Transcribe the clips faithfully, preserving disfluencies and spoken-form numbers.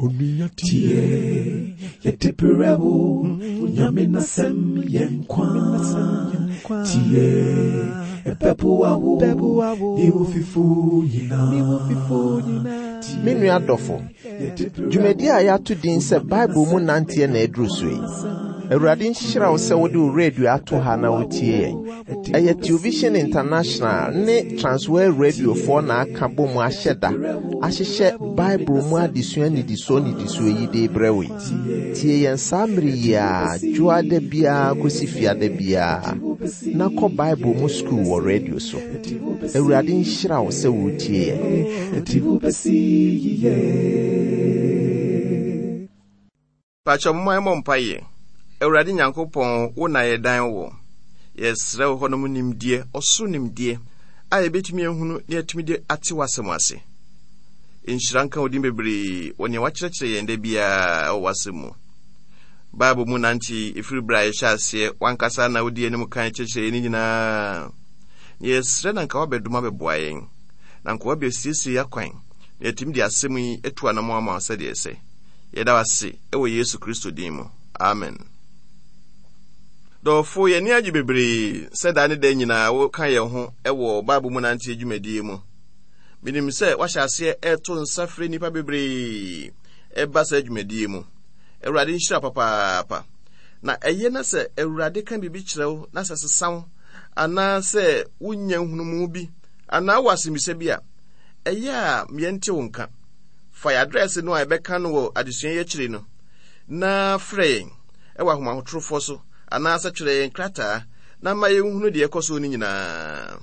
Onua tie, yɛde brɛ wo, Onyame n'asɛm yɛ nkwa. Tie, ɛbɛboa wo, ne wo fifo nyinaa. Me nua dɔfo, dwumadi a yɛato din sɛ Bible mu nanteɛ na aduru so yi. Awurade nhyira wo sɛ wode wo radio ato ha na wotie yɛn. Ɛyɛ Television International ne Transworld Radiofoɔ na aka bɔ mu ahyɛ da ahyehyɛ Bible mu adesua nnidisoɔ nnidisoɔ yi de brɛ wo yi. Tie yɛn saa mmere yi a dwoada biara kɔsi fiada biara na kɔ Bible mu sukuu wɔ radio so. Awurade nhyira wo sɛ woretie yɛn. Ɛti wobɛsi yiye. Pakyɛ momma yɛmmɔ mpaeɛ. Awurade Nyankopɔn, wo na yɛdan wo. Yɛsrɛ wo hɔnom nimdeɛ, ɔsoro nimdeɛ a yɛbɛtumi ahunu na yɛatumi de ate w'asɛm ase. Nhyira nka wo din bebree wɔ nea wakyerɛkyerɛ yɛn da biara wɔ w'asɛm mu. Bible mu nante ɛfiri berɛ a yɛhyɛ aseɛ, wankasa na wodi anim kan kyerɛkyerɛ yɛn ne nyinaa. Na yɛsrɛ na nka wabɛdom abɛboa yɛn, na nka wabɛsiesie yɛn akwan, na yɛatumi de asɛm yi atu anammɔn ama wo sɛdeɛ ɛsɛ. Yɛda wo ase wɔ Yesu Kristo din mu. Amen. Dɔfo, yɛn ani agye bebree sɛ daa ne da nyinaa woka yɛn ho wɔ Bible mu nanteɛ dwumadie mu. Menim sɛ wahyɛ aseɛ ɛreto nsa frɛ nnipa bebree ɛba saa dwumadie mu. Awurade nhyira papaapa. Na ɛyɛ na sɛ Awurade ka biribi kyerɛ wo na sɛ sesa wo anaasɛ wonya nhunumu bi anaa wɔ asɛmmisa bi a, ɛyɛ a yɛnte wo nka. Fa yɛn address no a yɛbɛka no wɔ adesua yi akyiri no na frɛ yɛn wɔ ahomatrofoɔ so anaasɛ twerɛ yɛn krataa na ma yɛnhunu deɛ ɛkɔ so no nyinaa.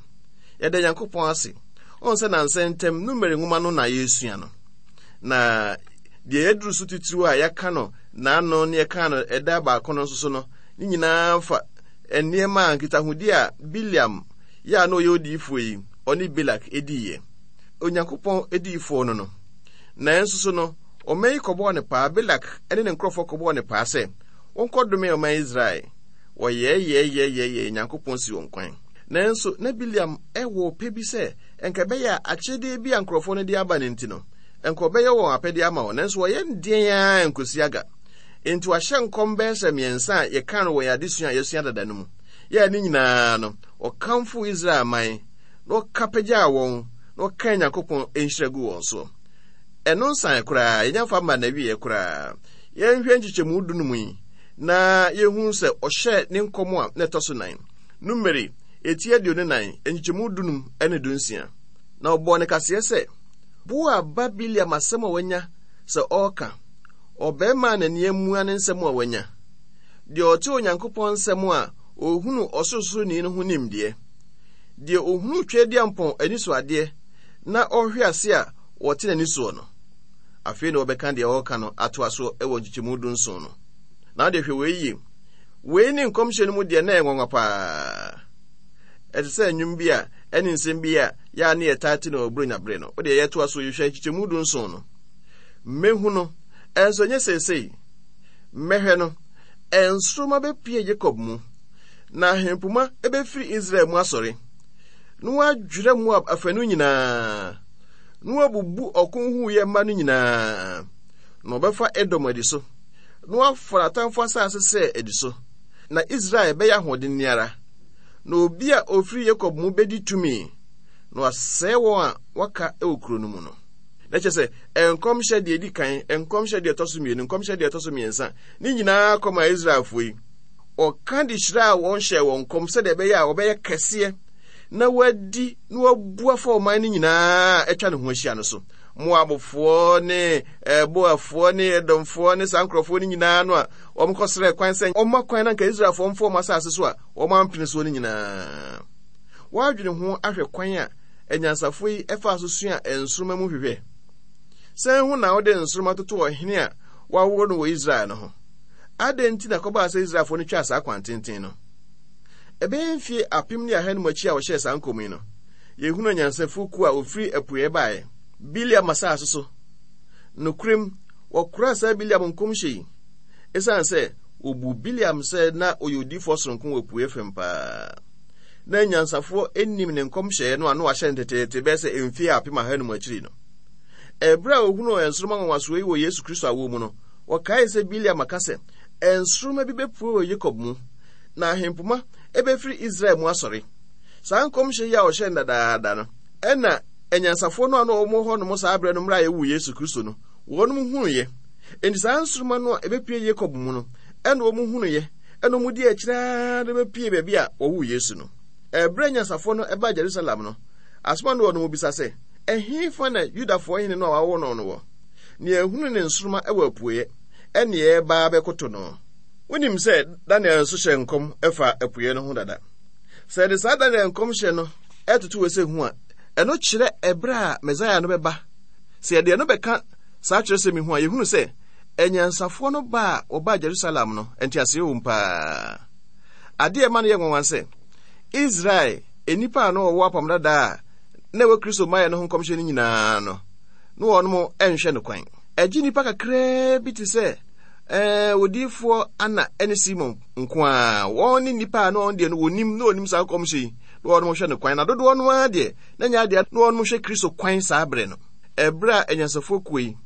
Yɛda Nyankopɔn ase. Ɔn sɛ nansa ntam Numeri nwoma no na yɛresua no. Na deɛ yɛaduru so titiriw a yɛaka no n'ano ne yɛka no ɛda baako no nso so no, ne nyinaa fa nneɛma a nkitahodi a Bileam yɛ a na ɔyɛ odiyifoɔ yi, ɔne Balak diiɛ. Onyankopɔn adiyifoɔ no no. Nanso so no, ɔman yi kɔbɔɔ ne paa, Balak ne ne nkurɔfoɔ kɔbɔɔ ne paa sɛ wɔnkɔdome ɔman Israel. Wɔyɛɛyɛɛyɛɛyɛɛ Nyankopɔn si wɔn kwan. Nanso na Bileam wɔ ɔpɛ bi sɛ ɛnka ɛbɛyɛ a akyɛdeɛ bi a nkurɔfoɔ no de aba no nti no, ɛnka ɔbɛyɛ wɔn apɛdeɛ ama wɔn. Nanso wɔyɛ deɛn ara nkosi aga. Enti wahyɛ nkɔm bɛyɛ sɛ mmiɛnsa a yɛka no wɔ yɛn adesua a yɛasua dada no mu. Yɛa ne nyinaa no, ɔkamfo Israel man na ɔka pagyaa wɔn na ɔkaa Nyankopɔn nhyira gu wɔn soɔ. Ɛno nsan koraa, yɛnya mfa mma n'awieɛ koraa. Yɛnhwɛ nkyekyɛmu du no mu yi na yɛhu sɛ ɔhyɛɛ ne nkɔm a na ɛtɔ so nan. Numeri, eti aduonu nan, nkyekyɛmu dunum ne dunsia. Na ɔbɔɔ ne kaseɛ sɛ, Boa ba Bileam asɛm a wanya sɛ ɔreka, ɔbarima a n'ani amua ne nsɛm a wanya, deɛ ɔte Onyankopɔn nsɛm a ɔhunu Ɔsorosoroni no ho nimdeɛ, deɛ ɔhunu Tweaduampɔn anisoadeɛ na ɔhwe ase a wɔte n'ani soɔ no. Afei na wɔbɛka deɛ ɔreka no atoa so wɔ nkyekyɛmu dunson no. Na wode hwɛ wei yie. Wei ne nkɔmhyɛ no mu deɛ na ɛyɛ nwanwa paa. Ɛte sɛ nnwom bi a ɛne nsɛm bi a yɛa ne yɛtaa te no wɔ Buronya bere no. Wode yɛtoa so yɛhwɛ nkyekyɛmu dunson no. Mɛhu no, ɛnso ɛnyɛ seesei. Mɛhwɛ no, nsoromma bɛpue Yakob mu, na ahempoma bɛfiri Israel mu asɔre, na wɔadwerɛ Moab afanu nyinaa, na wɔabubu ɔko huuyɛ mma no nyinaa, na wɔbɛfa Edom adi so, na wɔafa n'atamfo asase sɛ adi so, na Israel bɛyɛ ahoɔden ara, na obi a ofiri Yakob mu bɛdi tumi, na wasɛe wɔn a wɔaka wɔ kuro no mu no. Na kyerɛ sɛ nkɔmhyɛ deɛ edi kan, nkɔmhyɛ deɛ ɛtɔ so mmienu, nkɔmhyɛ deɛ ɛtɔ so mmiɛnsa, ne nyinaa kɔma Israelfoɔ yi. Ɔka de hyiraa wɔn hyɛɛ wɔn nkɔm sɛdeɛ ɛbɛyɛ a wɔbɛyɛ kɛseɛ na wɔadi na wɔabu afa ɔman no nyinaa a atwa ne ho ahyia no so. Moabfoɔ ne Boafoɔ ne Edomfoɔ ne saa nkurɔfoɔ no nyinaa no a wɔkɔsrɛɛ kwan sɛ wɔmma kwan na nka Israelfoɔ mfa wɔn asase so a wɔampene soɔ no nyinaa. Wɔadwene ho ahwɛ kwan a anyansafoɔ yi faa so sua nsoromma mu hwehwɛ. Sɛn ho na wode nsoromma toto ɔhene a wɔawo no wɔ Israel no ho? Adɛn nti na ɛkɔbaa sɛ Israelfoɔ no twaa saa kwan tenten no? Ɛbɛyɛ mfie apem ne ahanum akyi a wɔhyɛɛ saa nkɔm yi no, yɛhunu anyansafoɔ kuo a wɔfiri apueɛ baeɛ, Bileam asase so. Nokorɛm, wɔkoraa saa Bileam nkɔmhyɛ yi ɛsiane sɛ wɔbuu Bileam sɛ na ɔyɛ odiyifoɔ soronko wɔ apueɛ fam paa. Na anyansafoɔ nnim ne nkɔmhyɛeɛ no a na wɔahyɛ no teteete bɛyɛ sɛ mfie apem ahanum akyiri no. Ɛberɛ a wɔhunuu nsoromma nwanwasoɔ yi wɔ Yesu Kristo awoɔ mu no, wɔkaee sɛ Bileam aka sɛ, Nsoromma bi bɛpue wɔ Yakob mu, na ahempoma bɛfiri Israel mu asɔre. Saa nkɔmhyɛ yi a ɔhyɛɛ no dadaada no, ɛna anyansafoɔ no a na wɔwɔ hɔ nom saa berɛ no mmerɛ a yɛwoo Yesu Kristo no, wɔnom hunuiɛ. Enti saa nsoromma no a ɛbɛpue Yakob mu no, ɛna wɔn hunuiɛ, ɛna wɔn di akyire ara de bɛpue baabi a wɔwoo Yesu no. Ɛberɛ a anyansafoɔ no baa Jerusalem no, asoma no wɔnom bisa sɛ, Ɛhefa na Yudafoɔ hene no a wɔawo no no wɔ? Nea ehunu ne nsoromma wɔ apueɛ, ɛne ɛreba abɛkoto no. Wonim sɛ Daniel nso hyɛɛ nkɔm fa apueɛ no ho dada. Sɛ yɛde saa Daniel nkɔmhyɛ no toto wei sɛ hu a, ɛno kyerɛ ɛberɛ a Mesaia no bɛba. Sɛ yɛde ɛno bɛka saa kyerɛsɛm yi ho a, yɛhunu sɛ anyansafoɔ no ba a wɔbaa Jerusalem no, nteaseɛ wom paa. Adeɛ a ɛma no yɛ nwanwa sɛ, Israel nnipa a na wɔwɔ apam dada a na ɛwɔ Kristo mmaeɛ no ho nkɔmhyɛ no nyinaa no, na wɔnom nhwɛ no kwan. Ɛgye nnipa kakraa bi te sɛ ɛɛ odiyifoɔ Ana ne Simon nko ara. Wɔn ne nnipa a na wɔn deɛ no wɔnim na wɔnim saa nkɔmhyɛ yi na wɔnom hwɛ no kwan. Na dodoɔ no ara deɛ na nyɛ adeɛ na wɔnom hwɛ Kristo kwan saa berɛ no. Ɛberɛ a anyansafoɔ kuo yi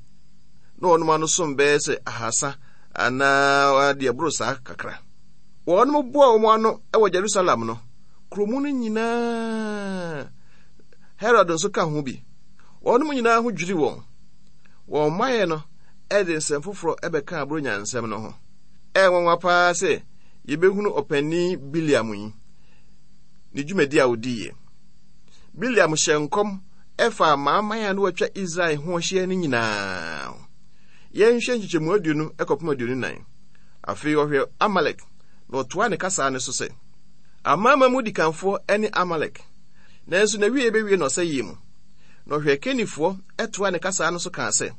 na wɔnom ano som bɛyɛ sɛ ahasa anaa deɛ ɛboro saa kakra. Wɔnom boa wɔn ano wɔ Jerusalem no, kuromu no nyinaa Herod nso ka ho bi. Wɔnom nyinaa ho dwiri wɔn. Wɔn mmaeɛ no de nsɛm foforɔ bɛkaa Buronya nsɛm no ho. Ɛyɛ nwanwa paa sɛ yɛbɛhunu ɔpanin Bileam yi ne dwumadi a ɔdiiɛ. Bileam hyɛɛ nkɔm ɛfaa amanaman a na wɔatwa Israel ho ahyia no nyinaa ho. Yɛnhwɛ nkyekyɛmu aduonu kɔpem aduonu nan. Afei ɔhwɛ Amalek na ɔtoa ne kasaa no so sɛ, Amanaman mu dikanfoɔ ne Amalek, nanso n'awieeɛ bɛwie no ɔsɛeɛ mu. Na ɔhwɛɛ Kenifoɔ toaa ne kasaa no so kaa sɛ,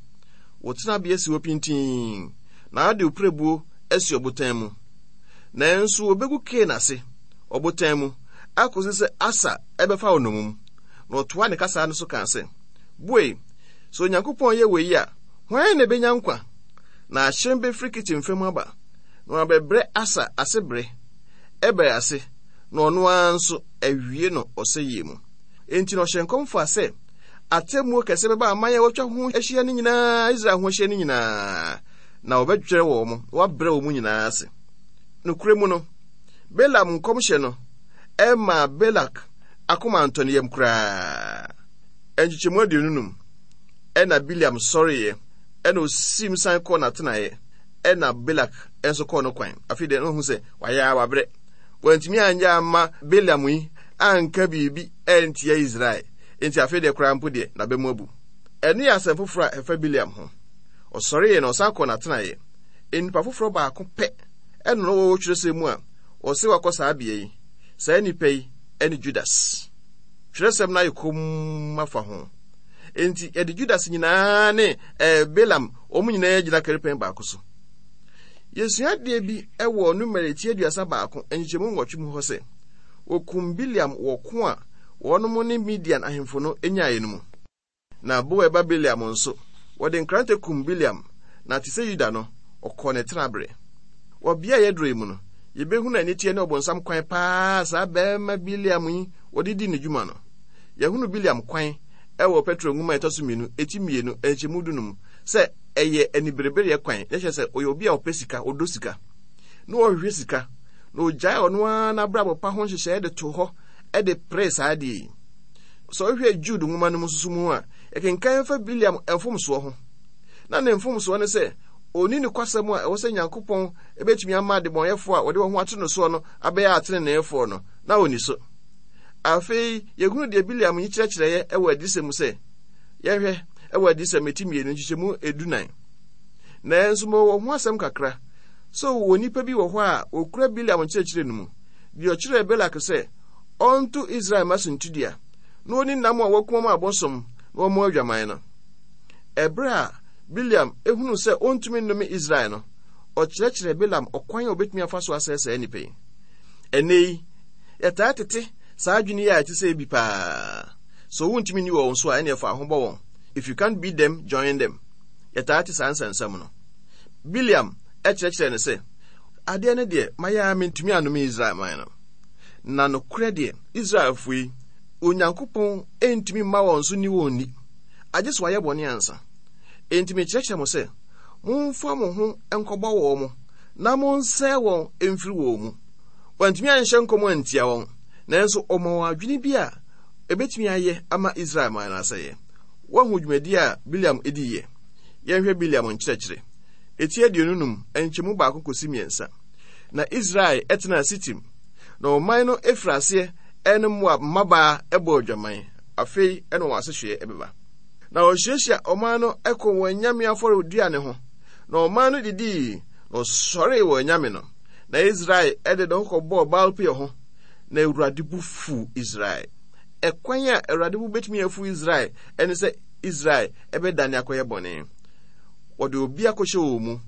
Wo tenabea si hɔ pintinn, na wode wo pirebuo asi ɔbotan mu. Nanso wɔbɛgu Kain ase, ɔbotan mu, akɔsi sɛ Asa bɛfa wo nnommum. Na ɔtoaa ne kasaa no so kaa sɛ, Bue, sɛ Onyankopɔn yɛ wei a, hwan na ɛbɛnya nkwa? Na ahyɛn bɛfiri Kitim fam aba, na wɔabɛbrɛ Asa ase bere, Eber ase, na ɔno ara nso awie no ɔsɛeɛ mu. Enti na ɔhyɛ nkɔm faa sɛ atemmuo kɛse bɛba aman a wɔatwa ho ahyia no nyinaa, Israel ho ahyia no nyinaa, na wɔbɛdwerɛ wɔn, na wɔabrɛ wɔn nyinaa ase. Nokorɛ mu no, Balaam nkɔmhyɛ no ɛmaa Balak akoma antɔ ne yam koraa. Nkyekyɛmu aduonu num, ɛna Bileam sɔreeɛ, ɛna ɔsiim san kɔɔ n'atenaeɛ, ɛna Balak nso kɔɔ no kwan. Afei deɛ na ɔhu sɛ wayɛ a wabrɛ. Wantumi anyɛ amma Balaam yi anka biribi antia Israel. Enti afei deɛ koraa mpo deɛ, n'aba mu abu. Ɛno yɛ asɛm foforɔ a ɛfa Bileam ho. Ɔsɔreeɛ na ɔsan kɔɔ n'atenaeɛ. Nnipa foforɔ baako pɛ ɛna na ɔwɔ twerɛsɛm mu a ɔse wakɔ saa bea yi. Saa nipa yi ne Judas. Twerɛsɛm no ayɛ komm afa ho. Enti yɛde Judas nyinaa ne eh, Balaam wɔn nyinaa gyina karipɛn baako so. Yɛsua adeɛ bi wɔ Numeri ti aduasa baako nkyekyɛmu nwɔtwe mu hɔ sɛ, wɔkum Bileam wɔ ko a wɔnom ne Midian ahemfo no nyaeɛ no mu. Na Beor ba Bileam nso, wɔde nkrantɛ kum Bileam, na te sɛ Yuda no, ɔkɔɔ ne tenaberɛ. Wɔ bea a yɛaduru yi mu no, yɛbɛhunu aniteɛ ne ɔbonsam kwan paa a saa barima Bileam yi wɔde dii ne dwuma no. Yɛahunu Bileam kwan wɔ Petro nwoma a ɛtɔ so mmienu, eti mmienu, nkyɛmu dunum, sɛ ɛyɛ aniberebereɛ kwan, na kyerɛ sɛ ɔyɛ obi a ɔpɛ sika, ɔdɔ sika, na ɔhwehwɛ sika, na ɔgyae ɔno ara n'abrabɔ pa ho nhyehyɛeɛ de to hɔ de peree saa adeɛ yi. Sɛ wohwɛ Jude nwoma no mu nso mu a, yɛkenkan fa Bileam mfomsoɔ ho. Na ne mfomsoɔ ne sɛ, ɔnni nokwasɛm a ɛwɔ sɛ Nyankopɔn bɛtumi ama adebɔnyɛfoɔ a wɔde wɔn ho ato no soɔ no abɛyɛ ateneneefoɔ no, na ɔnni so. Afei, yɛhunu deɛ Bileam yi kyerɛkyerɛeɛ wɔ adiyisɛm mu sɛ, yɛhwɛ wɔ adiyisɛm eti mmienu nkyekyɛmu edunan. Nanso mewɔ ho asɛm kakra, sɛ wɔ nnipa bi wɔ hɔ a wɔkura Bileam nkyerɛkyerɛ no mu, deɛ ɔkyerɛɛ Balak sɛ ɔnto Israel mma suntidua, na ɔnni nam a wɔakum ama abosom na wɔmmɔ adwaman no. Ɛberɛ a Bileam hunuu sɛ ɔntumi nnome Israel no, ɔkyerɛkyerɛɛ Balaam ɔkwan a ɔbɛtumi afa so asɛe saa nnipa yi. Ɛnnɛ yi, yɛtaa tete saa adwene yi a ɛte sɛ bi paa. Sɛ wontumi nni wɔn so a, ɛnneɛ fa ho bɔ wɔn. If you can't beat them, join them. Yɛtaa te saa nsɛnsɛm no. Bileam kyerɛkyerɛɛ no sɛ, Adeɛ no deɛ, mayɛ ara mentumi annome Israel man no. Na nokorɛ deɛ, Israelfoɔ yi, Onyankopɔn ntumi mma wɔn so nni wɔn ni, agye sɛ wɔayɛ bɔne ansa. Enti mekyerɛkyerɛ mo sɛ, momfa mo ho nkɔbɔ wɔn mo, na monsɛe wɔn mfiri wɔn mu. Wantumi anhyɛ nkɔm antia wɔn, nanso ɔma wɔn adwene bi a ebetumi ayɛ ama Israel man no asɛeɛ. Woahu dwumadi a Bileam diiɛ? Yɛnhwɛ Bileam nkyerɛkyerɛ. Eti aduonu num, nkyɛmu baako kɔsi mmiɛnsa. Na Israel tenaa Sitim, na ɔman no firi aseɛ ne Moab mmabaa bɔɔ adwaman. Afei na wɔn asehweɛ bɛba. Na wɔhyiahyia ɔman no kɔ wɔn anyame afɔredua no ho, na ɔman no didii, na wɔsɔree wɔn anyame no. Na Israel de ne ho kɔbɔɔ Baal-Peor ho, na Awurade bo fuu Israel. Ɛkwan a Awurade bo betumi afu Israel ne sɛ Israel bɛdane akɔyɛ bɔne. Wɔde obi akɔhyɛ wɔn mu.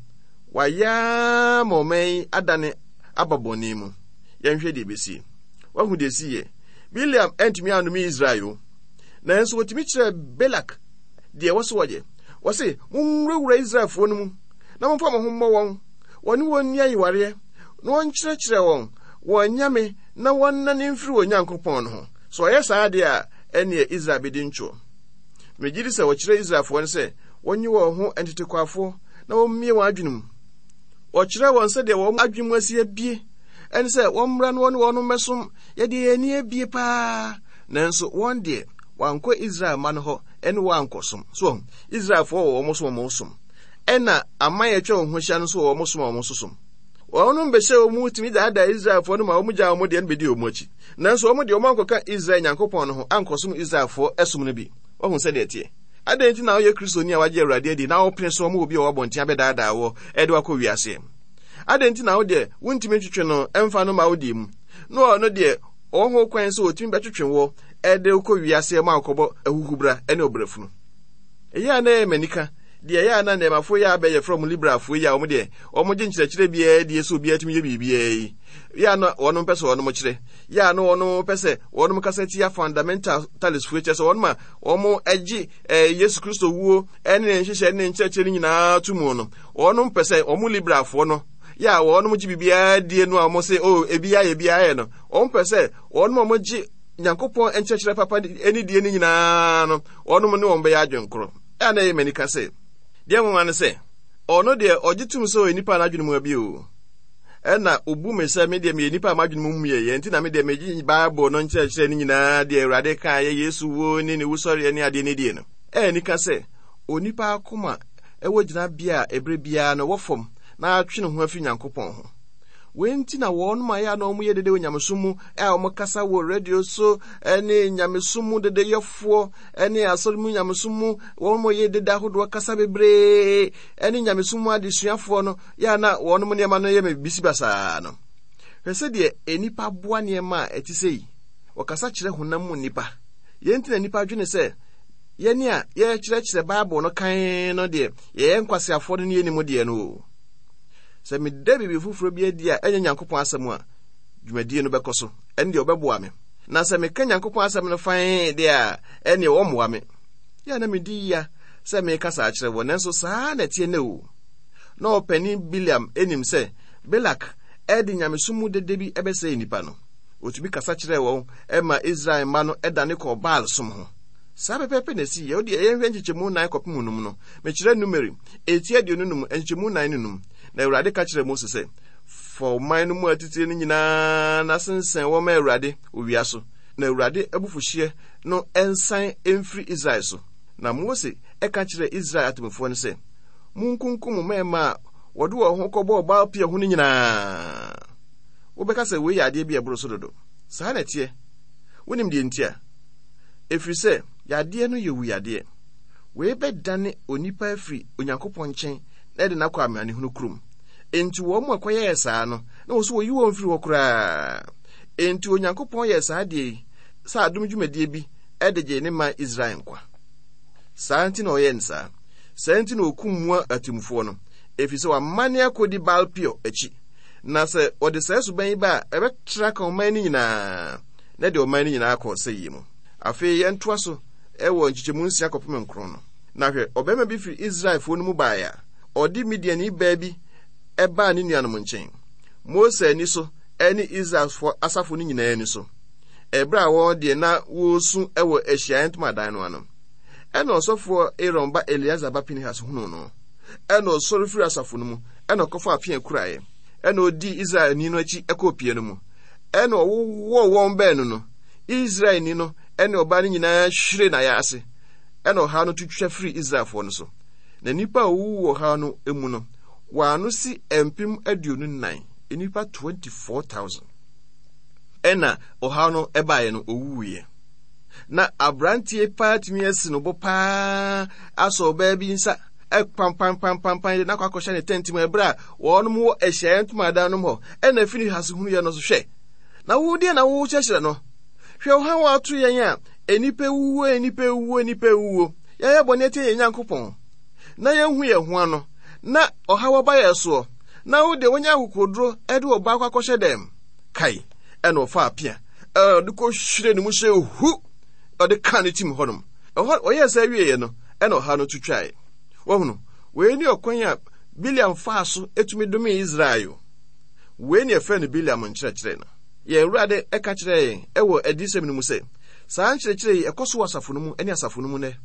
Wɔayɛ ara ma ɔman yi adane aba bɔne mu. Yɛnhwɛ deɛ ɛbɛsie. Wahu deɛ ɛsiiɛ. Bileam antumi annome Israel o. Nanso wɔtumi kyerɛɛ Balak deɛ ɛwɔ sɛ wɔyɛ. Wɔse, monwurawura Israelfoɔ no mu na momfa mo ho mmɔ wɔn. Wɔne wɔn nni ayewareɛ na wɔnkyerɛkyerɛ wɔn wɔn anyame na wɔnnane mfiri wɔn Nyankopɔn no ho. Sɛ wɔyɛ saa deɛ a, ɛnneɛ Israel bɛdi ntwoɔ. Megye di sɛ wɔkyerɛ Israelfoɔ no sɛ wɔnye wɔn ho ntetekwafoɔ na wɔmmie wɔn adwene mu. Wɔkyerɛ wɔn sɛdeɛ wɔn adwene mu asi abie, ɛne sɛ wɔmmra na wɔne wɔn mmɛsom. Yɛde yɛn ani abie paa. Nanso wɔn deɛ, wɔankɔ Israel mma no hɔ ne wɔn ankɔsom. So wɔn, Israelfoɔ wɔ wɔn som wɔn som. Ɛna aman a atwa wɔn ho ahyia no nso wɔ wɔn som a wɔn nso som. Wɔnom bɛhyɛ wɔn mu tumi daadaa Israelfoɔ no ma wɔn gyaa wɔn deɛ no bɛdi wɔn akyi. Nanso wɔn deɛ wɔn ankɔka Israel Nyankopɔn no ho ankɔsom Israelfoɔ som no bi. Wahu sɛdeɛ ɛteɛ? Adɛn nti na woyɛ Kristoni a wagye Awurade adi na wopene so ma obi a ɔwɔ abɔnten abɛdaadaa woɔ de wo akɔ wiaseɛ? Adɛn nti na wo deɛ wontumi ntwetwe no mfa no mma wo deɛ mu, na ɔno deɛ ɔwɔ ho kwan sɛ ɔtumi bɛtwetwe woɔ de wo kɔ wiaseɛ ma wokɔbɔ ahuhubra ne ɔbrɛfunu? Ɛyɛ a na ɛyɛ m'anika deɛ ɛyɛ a na nnɛɛmafoɔ yi a abɛ yɛfrɛ wɔn liberalfoɔ yi a wɔn deɛ wɔn gye nkyerɛkyerɛ biara die sɛ obiara tumi yɛ biribiara yi yɛ a na wɔn pɛ sɛ wɔn kyerɛ yɛ a na wɔn pɛ sɛ wɔn kasa tia fundamentalistfoɔ kyerɛ sɛ wɔn a wɔn gye eh, Yesu Kristo wuo ne ne nhyehyɛ ne ne nkyerɛkyerɛ no nyinaa to mu no wɔn pɛ sɛ wɔn liberalfoɔ no yɛ a wɔn gye biribiara die no a wɔn se oh ebi ayɛ ebi ayɛ no wɔn pɛ sɛ wɔn a wɔgye Nyankopɔn nkyerɛkyerɛ papa ne die no nyinaa no wɔn ne wɔn bɛyɛ adwenkorɔ. Ɛa na ɛyɛ m'anika sɛ deɛ nwanwa ne sɛ ɔno deɛ ɔgye tom sɛ ɔyɛ nipa a n'adwene mu abie o. Ɛna obu me sɛ me deɛ meyɛ nipa a m'adwene mu mmiɛeɛ nti na me deɛ megye Bible no nkyerɛkyerɛ no nyinaa deɛ Awurade kaeɛ Yesu wuo ne ne wusɔreɛ ne adeɛ ne die no. Ɛyɛ anika sɛ onipa akoma ɛwɔ gyinabea a ɛberɛ biara no wɔ fam na atwe ne ho afiri Nyankopɔn ho. Wei nti na wɔnom a ɛyɛ a na wɔyɛ dede wɔ nyamesom mu a wɔkasa wɔ radio so ne nyamesom mu dedeyɛfoɔ ne asɔre mu nyamesom mu wɔn yɛ dede ahodoɔ kasa bebree ne nyamesom mu adesuafoɔ no yɛ a na wɔnom nneɛma no yɛ me bisi basaa no. Hwɛ sɛdeɛ nnipa boa nneɛma a ɛte sɛ yi. Wɔkasa kyerɛ honam mu nnipa. Yɛn nti na nnipa dwene sɛ yɛne a yɛkyerɛkyerɛ Bible no kan no deɛ yɛyɛ nkwaseafoɔ no ne yɛnim deɛ no o. Sɛ meda biribi foforɔ bi adi a ɛnyɛ Nyankopɔn asɛm a, dwumadie no bɛkɔ so. Ɛno deɛ ɔbɛboa me. Na sɛ meka Nyankopɔn asɛm no fann deɛ a, ɛnneɛ ɔmmoa me. Yɛ a na medi yia sɛ mekasa akyerɛ wɔ, nanso saa na ɛteɛ nnɛ o. Na ɔpanin Bileam nim sɛ Balak de nyamesom mu dede bi bɛsɛe nnipa no. Ɔtumi kasa kyerɛɛ wɔn ma Israel mma no dane kɔɔ Baal som ho. Saa pɛpɛɛpɛ na ɛsiiɛ. Wo deɛ yɛnhwɛ nkyekyɛmu nnan kɔpem num no. Mekyerɛ Numeri, eti aduonu num, nkyekyɛmu nnan ne num. Na Awurade ka kyerɛɛ Mose sɛ, Fa ɔman no mu atitire no nyinaa na sensɛn wɔn ma Awurade owia so, na Awurade abufuhyeɛ no nsan mfiri Israel so. Na Mose ka kyerɛɛ Israel atemmufoɔ no sɛ, Monkunkum mmarima a wɔde wɔn ho kɔbɔɔ Baal Peor ho no nyinaa. Wobɛka sɛ wei yɛ adeɛ bi a ɛboro so dodo. Saa na ɛteɛ. Wonim deɛ nti a? Ɛfiri sɛ yadeɛ no yɛ owuyadeɛ. Wei bɛdane onipa afiri Onyankopɔn nkyɛn na ɛde no akɔ amanehunu kurom. Enti wɔn a ɛkɔyɛɛ saa no, na wɔn nso wɔyi wɔn firi hɔ koraa. Enti Onyankopɔn yɛɛ saa adeɛ yi sɛ adom dwumadie bi de gyee ne man Israel nkwa. Saa nti na ɔyɛɛ no saa. Saa nti na ɔkum mmoa atemmufoɔ no, ɛfiri sɛ wɔamane akɔdi Baal Peor akyi. Na sɛ wɔde saa suban yi ba a, ɛbɛtra aka ɔman no nyinaa, na ɛde ɔman no nyinaa akɔ ɔsɛeɛ mu. Afei yɛntoa so wɔ nkyekyɛmu nsia kɔpem nkron no. Na hwɛ, ɔbarima bi firi Israelfoɔ no mu baeɛ a ɔde Midianni baa bi baa ne nuanom nkyɛn, Mose ani so ne Israelfoɔ asafo no nyinaa ani so, ɛberɛ a wɔn deɛ na wɔresu wɔ ahyiaeɛ ntomadan no ano. Ɛna ɔsɔfoɔ Aaron ba Eleazar ba Pinehas hunuu no. Ɛna ɔsɔre firi asafo no mu, ɛna ɔkɔfaa pea kuraeɛ. Ɛna ɔdii Israelni no akyi kɔɔ pia no mu. Ɛna ɔwowɔɔ wɔn baanu no. Israelni no ne ɔbaa no nyinaa hwiree n'ayaase. Ɛna ɔhaw no to twa firii Israelfoɔ no so. Na nnipa a wɔwuwu wɔ ɔhaw no mu no, wɔn ano si mpem aduonu nnan, nnipa twenty-four thousand. Ɛna ɔhaw no baeɛ no, ɔwuwuiɛ. Na aberanteɛ paa tumi asi no bo paa asɔ ɔbaa bi nsa ɛkpampampampampan de n'akɔ akɔhyɛ ne tɛnti mu ɛberɛ a wɔnom wɔ ahyiaeɛ ntomadan nom hɔ. Ɛna Finehas hunuiɛ no so, hwɛ, na wo deɛ na wokyerɛkyerɛ no. Hwɛ ɔhaw a ato yɛn a nnipa wuo, nnipa wuo, nnipa wuo. Yɛayɛ bɔne atia yɛn Nyankopɔn na yɛnhu yɛn ho ano, na ɔhaw aba yɛn soɔ, na wo deɛ wonya akokoduro de ɔbaa akɔ akɔhyɛ dɛm. Kae, ɛna ɔfaa pea, ɛna ɔde kɔhwire ne mu sɛ hu, ɔde kaa ne tim hɔnom. Ɛhɔ, ɔyɛɛ sɛ awieeɛ no, ɛna ɔhaw no to twae. Wahunu, wei ne ɔkwan a Bileam faa so tumi domee Israel. Wei ne ɛfrɛ no Bileam nkyerɛkyerɛ no. Yɛn Awurade ka kyerɛɛ yɛn wɔ adiyisɛm no mu sɛ, saa nkyerɛkyerɛ yi ɛkɔ so wɔ asafo no mu ne asafo no mu nnɛ.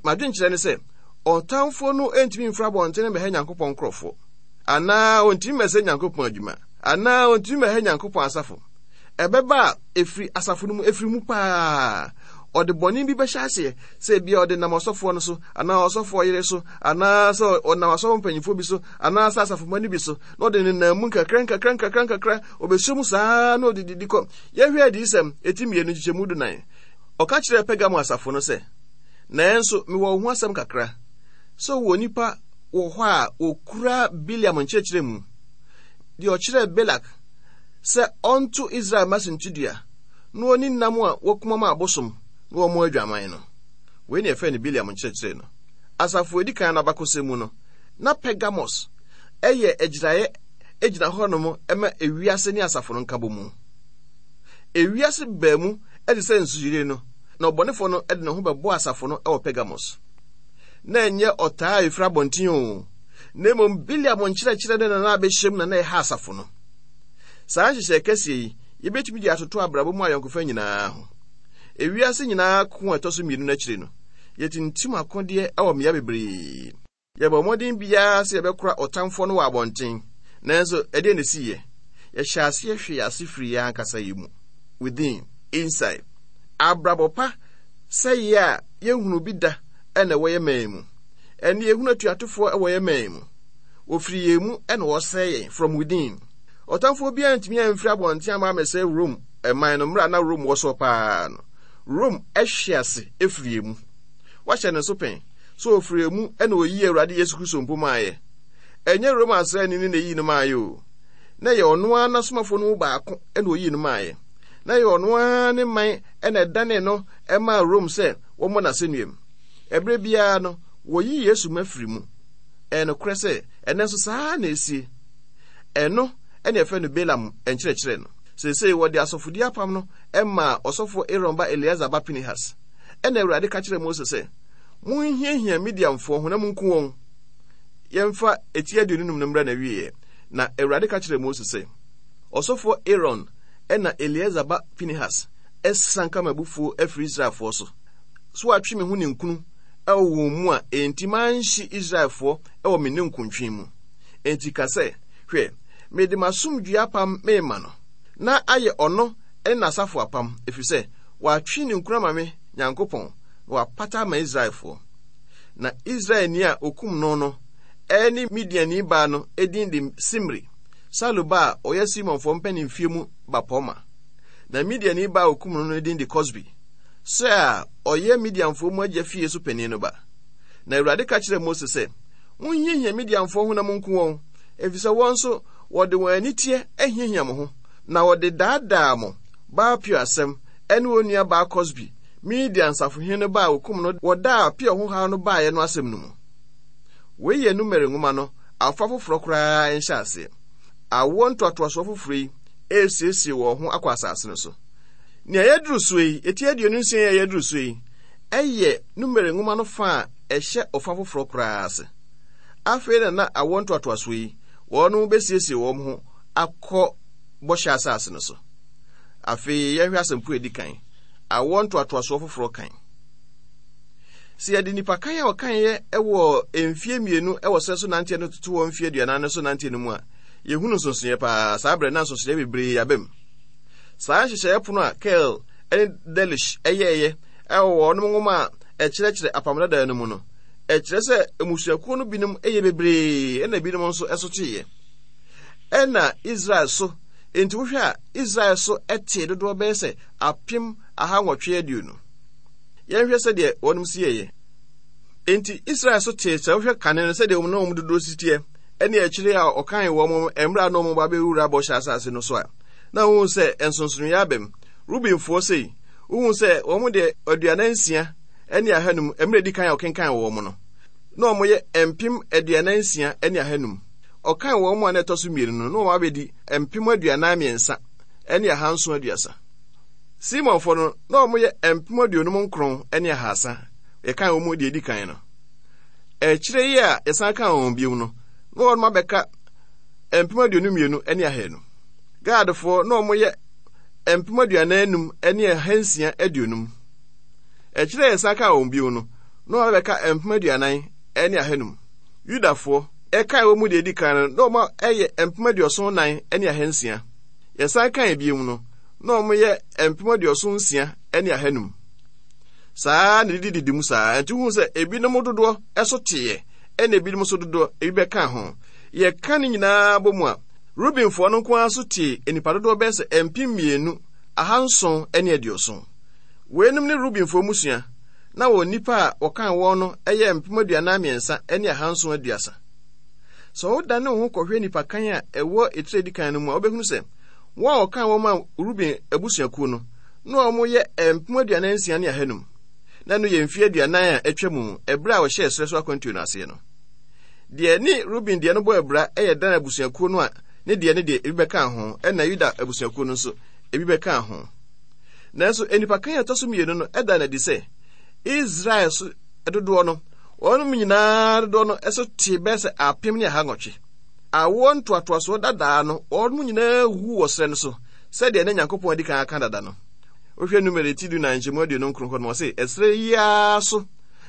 M'adwenkyerɛ ne sɛ, ɔtamfoɔ no ntumi mfiri abɔnten mmɛhɛ Nyankopɔn nkurɔfoɔ, anaa ɔntumi mmɛsɛ Nyankopɔn adwuma, anaa ɔntumi mmɛhɛ Nyankopɔn asafo. Ɛbɛba a ɛfiri asafo no mu, ɛfiri mu paa. Ɔde bɔne bi bɛhyɛ aseɛ, sɛ ebia ɔde nam ɔsɔfoɔ no so, anaa ɔsɔfoɔ yere so, anaa sɛ ɔnam asɔfo mpanyimfoɔ bi so, anaa sɛ asafomma no bi so, na ɔde nenam mu nkakra nkakra nkakra nkakra, ɔbɛhyɛ mu saa na ɔde didi kɔ. Yɛhwɛ Adiyisɛm, eti mmienu nkyekyɛmu dunan. Ɔka kyerɛɛ Pergamo asafo no sɛ, Nanso mewɔ wo ho asɛm kakra, sɛ wowɔ nnipa wɔ hɔ a wɔkura Bileam nkyerɛkyerɛ mu, deɛ ɔkyerɛɛ Balak sɛ ɔnto Israel mma sintidua na wɔnni nam a wɔakum ama abosom na wɔmmɔ adwaman no. Wei na yɛfrɛ no Bileam nkyerɛkyerɛ no. Asafo a edi kan no abakɔsɛm mu no, na Pergamos yɛ agyiraeɛ gyina hɔnom ma ewiase ne asafo no nkabɔmu. Ewiase baa mu te sɛ nsuyire no, na ɔbɔnefoɔ no de ne ho bɛbɔɔ asafo no wɔ Pergamos. Na ɛnyɛ ɔtaa a ɛfiri abɔnten o, na mmom Bileam nkyerɛkyerɛ ne na na abɛhyɛm na na ɛha asafo no. Saa nhyehyɛe kɛseɛ yi, yɛbɛtumi de atoto abrabɔ mu ayɔnkofa nyinaa ho. Ewiase nyinaa ko a ɛtɔ so mmienu no akyiri no, yɛtintim akodeɛ wɔ mmea bebree. Yɛbɔ mmɔden biara sɛ yɛbɛkora ɔtamfoɔ no wɔ abɔnten, nanso ɛdeɛn na ɛsiiɛ? Yɛhyɛ aseɛ hwee ase firi yɛn ankasa yɛn mu, within, inside. Abrabɔ pa sɛeɛ a yɛnhunu bi da na ɛwɔ yɛn man mu. Ɛnne yɛhunu atuatofoɔ wɔ yɛn man mu. Wɔfiri yɛn mu na wɔsɛe yɛn, from within. Ɔtamfoɔ biara ntumi amfiri abɔnten amma ammɛsɛe Rome man no mmerɛ a na Rome wɔ soɔ paa no. Rome hwe ase firi yɛn mu. Wahyɛ ne nso pɛn sɛ ɔfiri yɛn mu na ɔyii Awurade Yesu Kristo mpo maeɛ. Ɛnyɛ Roma asraani no na ɛyii no maeɛ o. Na ɛyɛ ɔno ara n'asomafoɔ no mu baako na ɔyii no maeɛ. Na ɛyɛ ɔno ara ne man na ɛdanee no maa Rome sɛ wɔmmɔ no asɛnnuam. Ɛberɛ biara no, wɔyi Yesu ma firi mu. Ɛyɛ nokorɛ sɛ ɛnnɛ nso saa ara na ɛsie. Ɛno na yɛfrɛ no Balaam nkyerɛkyerɛ no. Seesei wɔde asɔfodie apam no maa ɔsɔfoɔ Aaron ba Eleazar ba Pinehas. Ɛnna Awurade ka kyerɛɛ Mose sɛ, Monhiahia Midianfoɔ ho na monku wɔn. Yɛmfa eti aduonu num no mmra n'awieeɛ. Na Awurade ka kyerɛɛ Mose sɛ, Ɔsɔfoɔ Aaron na Eleazar ba Pinehas asianka m'abufuo afiri Israelfoɔ so, so wɔatwe me ho ninkunu wɔ wɔn mu a enti manhye Israelfoɔ wɔ me ninkuntwe mu. Enti ka sɛ, Hwɛ, mede m'asomdwoeɛ apam merema no, na ayɛ ɔno ne n'asafo apam, ɛfiri sɛ watwe ninkunu ama me Nyankopɔn, na wapata ama Israelfoɔ. Na Israelni a ɔkum no no ne Midianni baa no din de Simri, Salu ba a ɔyɛ Simeonfoɔ mpanimfie mu bapɔmma. Na Midianni baa a ɔkum no no din de Kosbi, Sɛ a ɔyɛ Midianfoɔ mu agya fie so panin no ba. Na Awurade ka kyerɛɛ Mose sɛ, Monhiahia Midianfoɔ ho na monku wɔn, efisɛ wɔn nso wɔde wɔn aniteɛ ahiahia mo ho, na wɔde daadaa mo Baal Peor asɛm ne wɔn nua baa Kosbi, Midian safohene no ba a wɔkum no wɔ da a Peor ho haw no baeɛ no asɛm no mu. Wei yɛ Numeri nwoma no afa foforɔ koraa nhyɛaseɛ. Awoɔ ntoatoasoɔ foforɔ yi resiesie wɔn ho akɔ asase no so. Nea yɛaduru soɔ yi, eti aduonu nsia yi a yɛaduru soɔ yi, ɛyɛ Numeri nwoma no fa a ɛhyɛ ɔfa foforɔ koraa ase. Afei na na awoɔ ntoatoasoɔ yi, wɔn bɛsiesie wɔn ho akɔ bɔhyɛ asase no so. Afei yɛnhwɛ asɛmpo a ɛdi kan, awoɔ ntoatoasoɔ foforɔ kan. Sɛ yɛde nnipakan a wɔkaeɛ wɔ mfeɛ mmienu wɔ serɛ so nanteɛ no toto wɔ mfeɛ aduanan no so nanteɛ no mu a, yɛhunu nsonsonoeɛ paa. Saa berɛ na nsonsonoeɛ bebree aba mu. Saa nhyehyɛeɛ pono a Keil ne Delitzsch yɛeɛ wɔ wɔn nwoma a ɛkyerɛkyerɛ Apam Dada no mu no, ɛkyerɛ sɛ mmusuakuo no binom yɛ bebree ɛna binom nso so teeɛ. Ɛna Israel so, enti wohwɛ a Israel so tee dodoɔ bɛyɛ sɛ apem aha nwɔtwe aduonu. Yɛnhwɛ sɛdeɛ wɔnom si yɛeɛ. Enti Israel so tee sɛ wohwɛ kane no sɛdeɛ wɔn na wɔn dodoɔ si teɛ ɛne akyire a ɔkan wɔn mmerɛ a na wɔn ba bɛwura bɔhyɛ asase no so a, na wohu sɛ nsonsonoeɛ aba mu. Rubenfoɔ sei, wohu sɛ wɔn deɛ aduanan nsia ne ahanum mmerɛ di kan a ɔkenkan wɔn no, na wɔyɛ mpem aduanan nsia ne ahanum. Ɔkan wɔn mu a na ɛtɔ so mmienu no, na wɔn abɛdi mpem aduanan mmiɛnsa ne ahanson aduasa. Simeonfoɔ no, na wɔyɛ mpem aduonum nkron ne ahasa. Yɛkan wɔn mu deɛ edi kan no. Akyire yi a yɛsan kan wɔn bio no, na wɔn abɛka mpem aduonu mmienu ne ahanu. Gadfoɔ na wɔyɛ mpem aduanan enum ne ahansia aduonum. Akyire a yɛsan kan wɔn bio no, na wɔn abɛka mpem aduanan ne ahanum. Yudafoɔ, ɛkan wɔn mu deɛ edi kan no, na wɔn yɛ mpem aduɔson nan ne ahansia. Yɛsan kan bio no, na wɔyɛ mpem aduɔson nsia ne ahanum. Saa na didididi mu saa. Nti wohu sɛ ebinom dodoɔ so teeɛ, ɛna ebinom nso dodoɔ ebi bɛka ho. Yɛka ne nyinaa bɔ mu a, Rubenfoɔ no nko ara so tee nnipa dodoɔ bɛyɛ sɛ mpem mmienu, ahanson ne aduɔson. Weinom ne Rubenfoɔ mmusua, na wɔn nnipa a wɔkan wɔn no yɛ mpem aduanan mmiɛnsa ne ahanson aduasa. Sɛ wodane wo ho kɔhwɛ nnipakan a ɛwɔ etire edi kan no mu a, wobɛhunu sɛ wɔn a wɔkan wɔn maa Ruben abusuakuo no, na wɔyɛ mpem aduanan nsia ne ahanum. Na ɛno yɛ mfeɛ aduanan a atwa mu ɛberɛ a wɔhyɛɛ serɛ so akwantuo no aseɛ no. Deɛ ne Ruben deɛ no bɔ abira yɛ Dan abusuakuo no a ne deɛ ne deɛ ebi bɛkaa ho, ɛna Yuda abusuakuo no nso ebi bɛkaa ho. Nanso nnipakan a ɛtɔ so mmienu no ɛda no adi sɛ Israel so dodoɔ no, wɔnom nyinaa dodoɔ no so te bɛyɛ sɛ apem ne aha nwɔtwe. Awoɔ ntoatoasoɔ dadaa no, wɔnom nyinaa wu wɔ serɛ no so, sɛdeɛ na Nyankopɔn adi kan aka dada no. Wohwɛ Numeri ti du nan nkyɛmu aduonu nkron hɔ no, ɔse, ɛserɛ yi ara so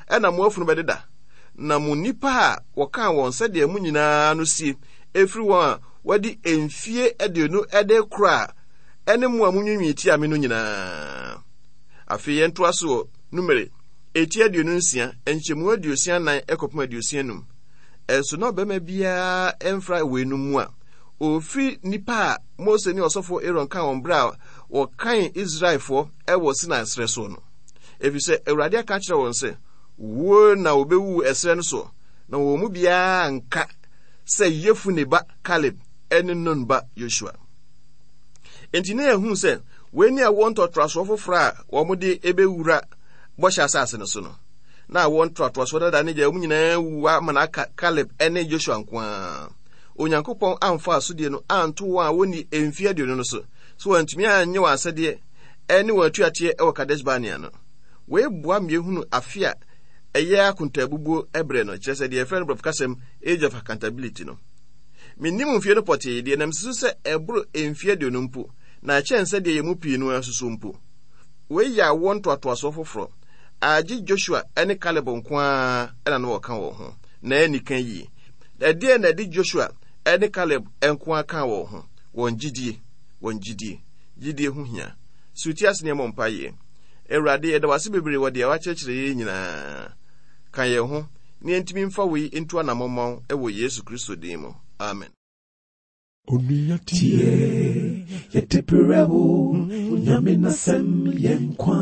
ɛna mo afunu bɛdeda, na mo nnipa a wɔkaa wɔn sɛdeɛ mo nyinaa no sie, ɛfiri wɔn a wɔadi mfie aduonu de korɔ a ɛne mo a monwiinwii tia me no nyinaa. Afei yɛntoa so wɔ Numeri eti aduonu nsia nkyɛmu aduosia nan kɔpem aduosia num. Ɛnso na ɔbarima biara mfra weinom mu a ɔfiri nnipa a Mose ne ɔsɔfoɔ Aaron kaa wɔn berɛ a wɔkan Israelfoɔ wɔ Sinai serɛ soɔ no. Ɛfiri sɛ Awurade aka akyerɛ wɔn sɛ, wuo na wɔbɛwu ɛserɛ no soɔ, na wɔn mu biara nka sɛ Yefune ba Kaleb ne Nun ba Yosua. Enti na yɛhu sɛ wei ne awoɔ ntoatoasoɔ foforɔ a wɔde ɛbɛwura bɔhyɛ asase no so no. Na awoɔ ntoatoasoɔ dada ne gya wɔn nyinaa wu ama no aka Kaleb ne Joshua nko ara. Onyankopɔn amfa asodie no anto wɔn a wɔnni mfeɛ aduonu no so, so wɔantumi anyɛ wɔn asɛdeɛ ne wɔn atuateɛ wɔ Kadesh Barnea no. Wei boa ma yɛhunu afe a ɛyɛ akontaabubuo berɛ no, kyerɛ sɛ deɛ yɛfrɛ no borɔfo kasɛm age of accountability no. Mennim mfeɛ no pɔtee deɛ, na mesusu sɛ ɛboro mfeɛ aduonu mpo, na ɛkyɛn sɛdeɛ yɛn mu pii no ara susu mpo. Wei yɛ awoɔ ntoatoasoɔ foforɔ a gye Joshua ne Caleb nko ara na na wɔka wɔn ho, na ɛnni kan yie. Ɛdeɛn na ɛde Joshua ne Caleb nko ara kaa wɔn ho? Wɔn gyidie. Wɔn gyidie. Gyidie ho hia. So ti ase ne ɛmmɔ mpaeɛ. Awurade, yɛda wo ase bebree wɔ deɛ woakyerɛkyerɛ yɛn nyinaa. Ka yɛn ho na yɛntumi mfa wei ntu anammɔn wɔ Yesu Kristo din mu. Amen. Onua tie, yɛde brɛ wo, Onyame n'asɛm yɛ nkwa.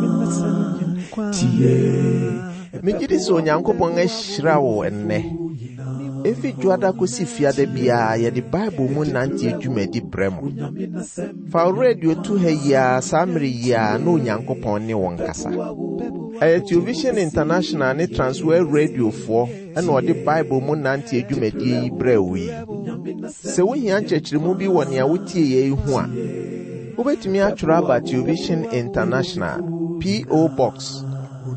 Tie. Megye di sɛ Onyankopɔn ahyira wo ɛnnɛ. Efi Dwoada kosi Fiada biara yɛde Bible mu nanteɛ dwumadi brɛ mo. Fa wo radio to ha yi ara saa mmere yi ara na Onyankopɔn ne wo nkasa. Ɛyɛ Television International ne Transworld Radiofoɔ ɛna ɔde Bible mu nanteɛ dwumadie yi brɛ wo yi. Sɛ wohia nkyerɛkyerɛmu bi wɔ nea wotie yɛ yi ho a, wobɛtumi atwerɛ aba Television International, P O. Box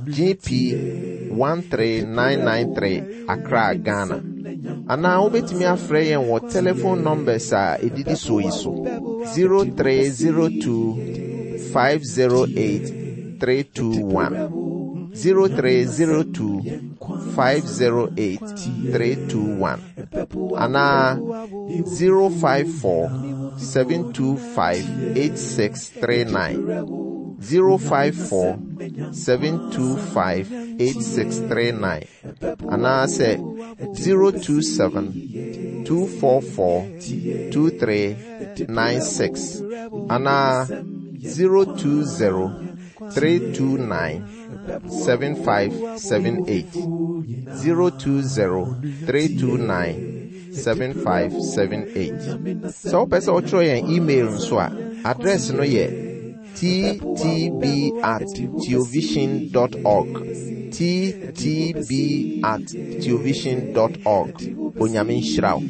G P one three nine nine three, Accra, Ghana. Anaa wobɛtumi afrɛ yɛn wɔ telephone numbers a ɛdidi soɔ yi so: zero three zero two five zero eight three two one. zero three zero two five zero eight three two one anaa zero five four seven two five eight six three nine zero five four seven two five eight six three nine anaasɛ zero two seven two four four two three nine six anaa zero two zero three two nine seven five seven eight zero two zero three two nine seven five seven eight. Sɛ wopɛ sɛ wotwerɛ yɛn email nso a, address no yɛ ttb at theovision dot org ttb at theovision dot org. Onyame nhyira wo.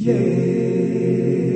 Yeah.